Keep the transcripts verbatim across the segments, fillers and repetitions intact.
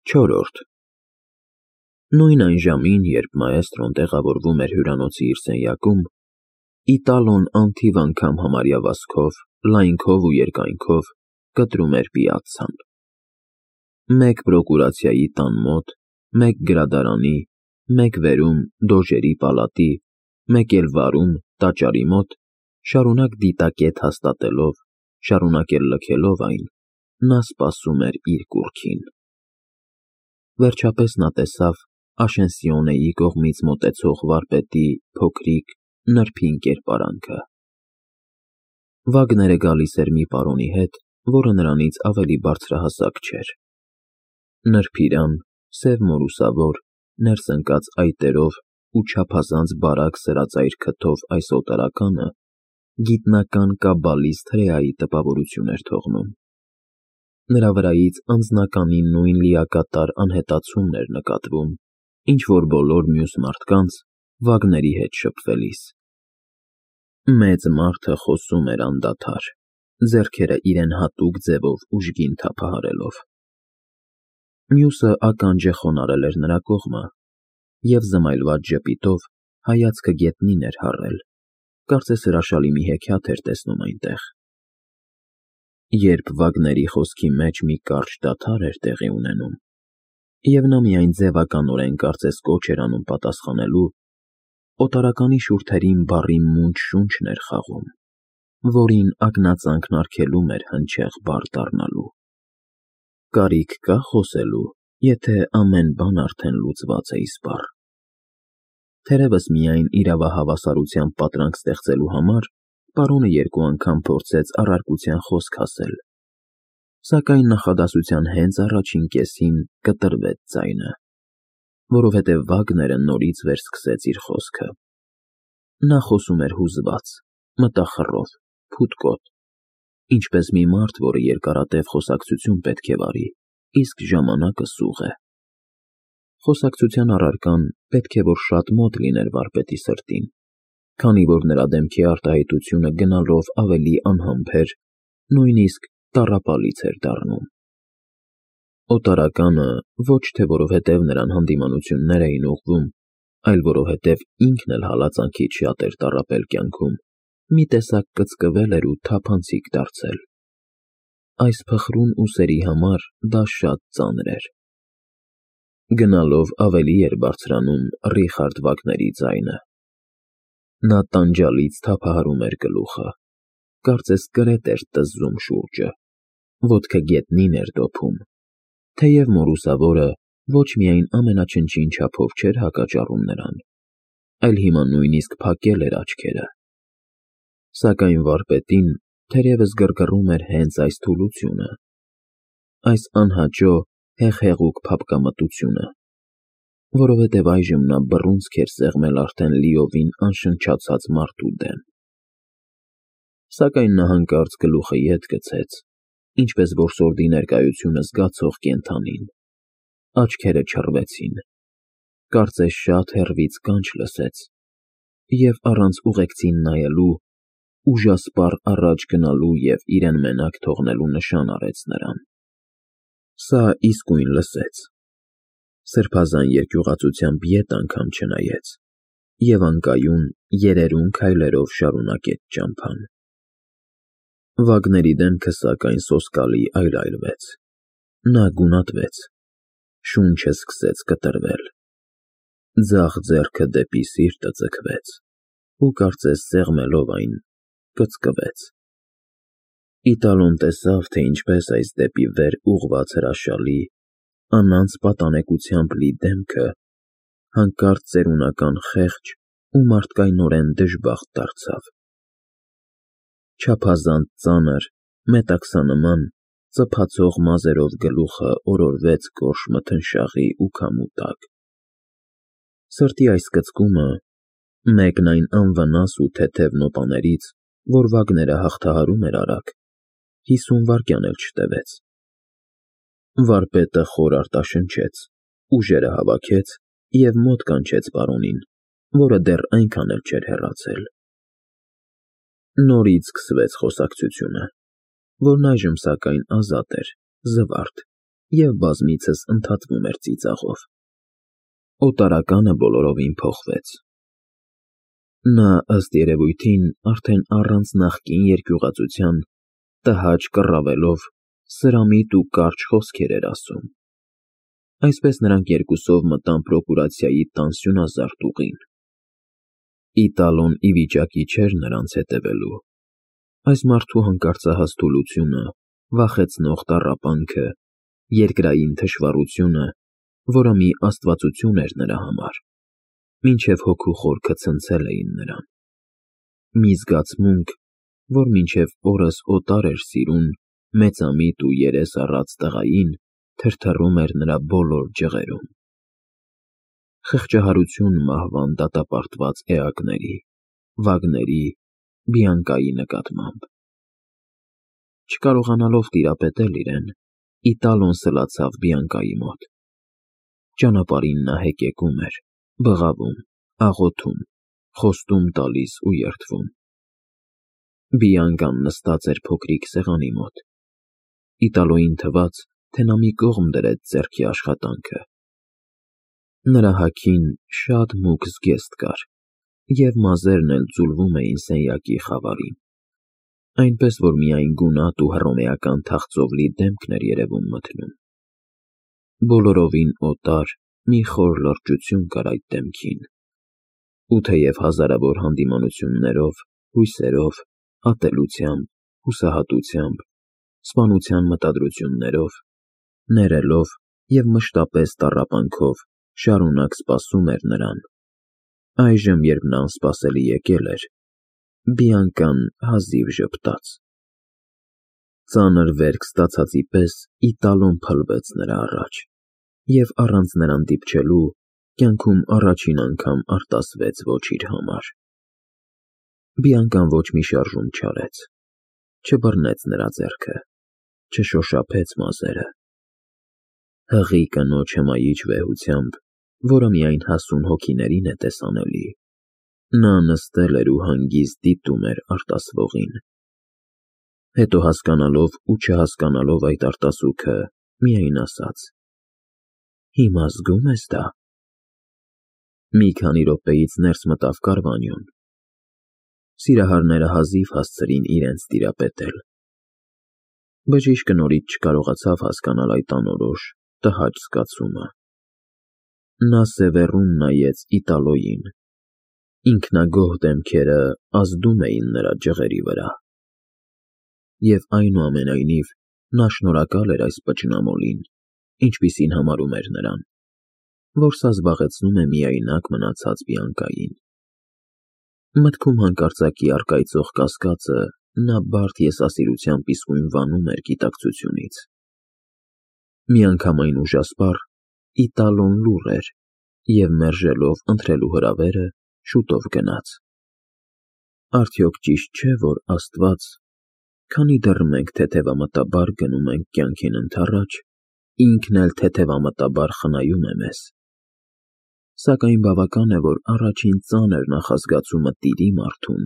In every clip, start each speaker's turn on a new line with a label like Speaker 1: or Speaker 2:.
Speaker 1: Չորրորդ Նույն այն ժամին, երբ մաէստրոն տեղավորվում էր հյուրանոցի իր սենյակում, Իտալոն անթիվ անգամ համարյա վազքով, լայնքով ու երկայնքով կտրում էր պիացցան. մեկ պրոկուրացիայի տան մոտ, մեկ գրադարանի, մեկ վերում դոժերի պալատի, մեկ էլ վարում տաճարի մոտ, շարունակ դիտակետ հաստատելով, շարունակ էլ լքելով այն, նա սպասում էր իր կուռքին։ Վերջապես նա տեսավ Աշենսիոնեի կողմից մոտեցող վարպետի փոքրիկ, նրբին կերպարանքը։ Վագները գալիս էր մի պարոնի հետ, որը նրանից ավելի բարձրահասակ չէր։ Նրբիրան, սև մորուսավոր, ներս ընկած այտերով ու չափազանց բարակ սրածայր քթով այս օտարականը գիտնական կաբալիստ հրեայի տպավորություն էր թողնում։ Նրա վրայից անձնականի նույն լիակատար անհետացումն էր նկատվում, ինչ որ բոլոր մյուս մարդկանց Վագների հետ շփվելիս։ Մեծ մարդը խոսում էր անդադար, ձեռքերը իրեն հատուկ ձևով ուժգին թափահարելով։ Մյուսը ականջ է խոնարհել էր նրա կողմը և զմայլված ժպիտով հայացքը գետնին էր հառել, կարծես հրաշալի մի հեքիաթ էր տեսնում այնտեղ։ Երբ Վագների խոսքի մեջ մի կարճ դադար էր տեղի ունենում, և նա միայն ձևականորեն կարծես կոչ էր անում պատասխանելու, օտարականի շուրթերին բառի մունջ շունչն էր խաղում, որին ակնածանքն արգելում էր հնչեղ բառ դառնալու։ Կարիք կա՞ խոսելու, եթե ամեն բան արդեն լուծված է իսպառ։ Թերևս միայն իրավահավասարությամբ պատրանք ստեղծելու համար պարոնը երկու անգամ փորձեց առարկության խոսք ասել, սակայն նախադասության հենց առաջին կեսին կտրվեց ձայնը, որովհետև Վագները նորից վերսկսեց իր խոսքը։ Նա խոսում էր հուզված, մտախռով, փուտկոտ, ինչպես մի մարդ, որը երկարատև խոսակցություն պետք է վարի, իսկ ժամանակը սուղ է։ Խոսակցության առարկան պետք է որ շատ մոտ լիներ վարպետի սրտին, քանի որ նրա դեմքի արտահայտությունը գնալով ավելի անհամբեր, նույնիսկ տառապալից էր դառնում։ Օտարականը ոչ թե որովհետև նրան հանդիմանություններ էին ուղղվում, այլ որովհետև ինքն էլ հալածանքից շատ էր տառապել կյանքում, մի տեսակ կծկվել էր ու թափանցիկ դարձել։ Այս փխրուն ուսերի համար դա շատ ծանր էր։ Գնալով ավելի էր բարձրանում Ռիխարդ Վագների ձայնը։ Նա տանջալից թափահարում էր գլուխը, կարծես կրետ էր տզզում շուրջը, ոտքը գետնին էր դոփում, թեև մորուսավորը ոչ միայն ամենաչնչին չափով չէր հակաճառում նրան, այլ հիմա նույնիսկ փակել էր աչքերը։ Սակայն վարպետին թերևս գրգռում էր հենց այս թուլությունը, այս անհաճո հեղհեղուկ փափկամտությունը, որովհետև այժմ նա բռունցք էր սեղմել արդեն լիովին անշնչացած մարդու դեմ։ Սակայն նա հանկարծ գլուխը ետ գցեց, ինչպես որսորդի ներկայությունը զգացող կենդանին, աչքերը չռվեցին, կարծես շատ հեռվից կանչ լսեց, և առանց ուղեկցին նայելու, ուժասպառ առաջ գնալու և իրեն մենակ թողնելու նշան արեց նրան։ Սա իսկույն լսեց, սրբազան երկյուղածությամբ ետ անգամ չնայեց և անկայուն երերուն քայլերով շարունակեց ճամփան։ Վագների դեմքը սակայն սոսկալի այլայլվեց, նա գունատվեց, շունչը սկսեց կտրվել, ձախ ձեռքը դեպի սիրտը ձգվեց ու կարծես սեղմելով այն, կծկվեց։ Իտալոն տեսավ, թե ինչպես այս դեպի վեր ուղղված հրաշալի, անանց պատանեկությամբ լի դեմքը հանկարծ ծերունական խեղճ ու մարդկայնորեն դժբախտ դարձավ։ Չափազանց ծանր, մետաքսանման, ծփացող մազերով գլուխը օրորվեց գորշ մթնշաղի ու քամու տակ։ Սրտի այս կծկումը, մեկն այն անվնաս ու թեթև նոտաներից, որ Վագները հաղթահարում էր արագ, հիսուն վայրկյան էլ չտևեց։ Վարպետը խոր արտաշնչեց, ուժերը հավաքեց և մոտ կանչեց պարոնին, որը դեռ այնքան էլ չէր հեռացել։ Նորից սկսվեց խոսակցությունը, որն այժմ սակայն ազատ էր, զվարթ, և բազմիցս ընդհատվում էր ծիծաղով։ Օտարականը բոլորովին փոխվեց։ Նա, ըստ երևույթին, արդեն առանց նախկին երկյուղածության, տհաճ կռավելով, սրամիտ ու կարճ խոսքեր էր ասում։ Այսպես նրանք երկուսով մտան պրոկուրացիայի տանսյունազարդ ուղին։ Իտալոն ի վիճակի չէր նրանց հետևելու։ Այս մարդու հանկարծահաս թուլությունը, վախեցնող տառապանքը, երկրային թշվառությունը, որը մի աստվածություն էր նրա համար, մինչև հոգու խորքը ցնցել էին նրան։ Մի զգացմունք, որ մինչև օրս օտար էր սիրուն մեծամիտ ու երես առած տղային, թրթռում էր նրա բոլոր ջղերում։ Խղճահարություն մահվան դատապարտված էակների, վագների, Բիանկայի նկատմամբ։ Չկարողանալով տիրապետել իրեն, Իտալոն սլացավ Բիանկայի մոտ։ Ճանապարհին նա հեկեկում էր, բղավում, աղոթում, խոստում տալիս ու երդվում։ Բիանկան նստած էր փոքրիկ սեղանի մոտ։ Իտալոյին թվաց, թե նա մի կողմ դրեց ձեռքի աշխատանքը։ Նրա հագին շատ մուգ զգեստ կար, և մազերն էլ ձուլվում էին սենյակի խավարին, այնպես որ միայն գունատ ու հռոմեական թախծով լի դեմքն էր երևում մթնում։ Բոլորովին օտար մի խոր լրջություն կար այդ դեմքին, ու թեև հազարավոր հանդիմանություններով, հույսերով, ատելությամբ, հուսահատությամբ, սպանության մտադրություններով, ներելով և մշտապես տառապանքով շարունակ սպասում էր նրան, այժմ, երբ նա անսպասելի եկել էր, Բիանկան հազիվ ժպտաց։ Ծանր վերք ստացածի պես Իտալոն փլվեց նրա առաջ և առանց նրան դիպչելու, կյանքում առաջին անգամ արտասվեց ոչ իր համար։ Բիանկան ոչ մի շարժում չարեց, չբռնեց նրա ձեռքը, չշոշափեց մազերը։ Հղի կնոջ հմայիչ վեհությամբ, որը միայն հասուն հոգիներին է տեսանելի, նա նստել էր ու հանգիստ դիտում էր արտասվողին։ Հետո հասկանալով ու չհասկանալով այդ արտասուքը, միայն ասաց. «Հիմա զգո՞ւմ ես դա»։ Մի քանի րոպեից ներս մտավ Կարվանյոն։ Սիրահարները հազիվ հասցրին իրենց տիրապետել։ Բժիշկը նորից չկարողացավ հասկանալ այդ անորոշ, տհաճ զգացումը։ Նա սևեռուն նայեց Իտալոյին։ Ինքնագոհ դեմքերը ազդում էին նրա ջղերի վրա։ Եվ այնուամենայնիվ նա շնորհակալ էր այս պճնամոլին, ինչպիսին համարում էր նրան, որ սա զբաղեցնում է միայնակ մնացած Բիանկային։ Մտքում հանկարծակի առկայծող կասկածը նա բարդ եսասիրությամբ իսկույն վանում էր գիտակցությունից։ Միանգամայն ուժասպառ Իտալոն լուռ էր և, մերժելով ընտրելու հրավերը, շուտով գնաց։ Արդյոք ճիշտ չէ, որ Աստված, քանի դեռ մենք թեթևամտաբար գնում ենք կյանքին ընդառաջ, ինքն էլ թեթևամտաբար խնայում է մեզ։ Սակայն բավական է, որ առաջին ծանր նախազգացումը տիրի մարդուն,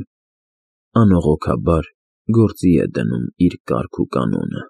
Speaker 1: անողոքաբար գործի է դնում իր կարգ ու կանոնը։